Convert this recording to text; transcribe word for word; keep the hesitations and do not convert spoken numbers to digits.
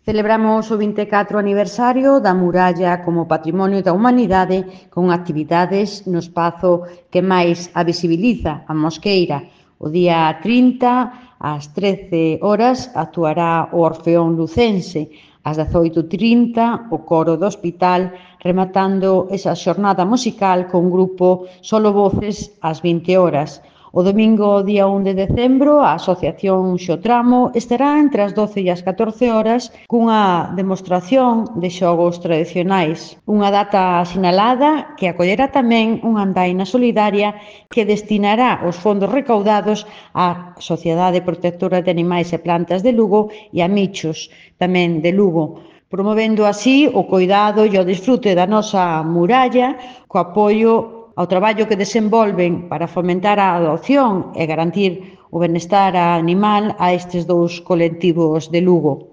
Celebramos o vinte e catro aniversario da muralla como Patrimonio da Humanidade con actividades no espazo que máis a visibiliza, a Mosqueira. O día trinta, ás trece horas, actuará o Orfeón Lucense. Ás dezoito e trinta, o Coro do Hospital, rematando esa xornada musical con grupo Solo Voces ás vinte horas. O domingo, día un de decembro, a Asociación Xotramo estará entre as doce e as catorce horas cunha demostración de xogos tradicionais. Unha data sinalada que acollerá tamén unha andaina solidaria que destinará os fondos recaudados á Sociedade Protectora de Animais e Plantas de Lugo e a Michos, tamén de Lugo, promovendo así o coidado e o disfrute da nosa muralla co apoio ao traballo que desenvolven para fomentar a adopción e garantir o benestar animal a estes dous colectivos de Lugo.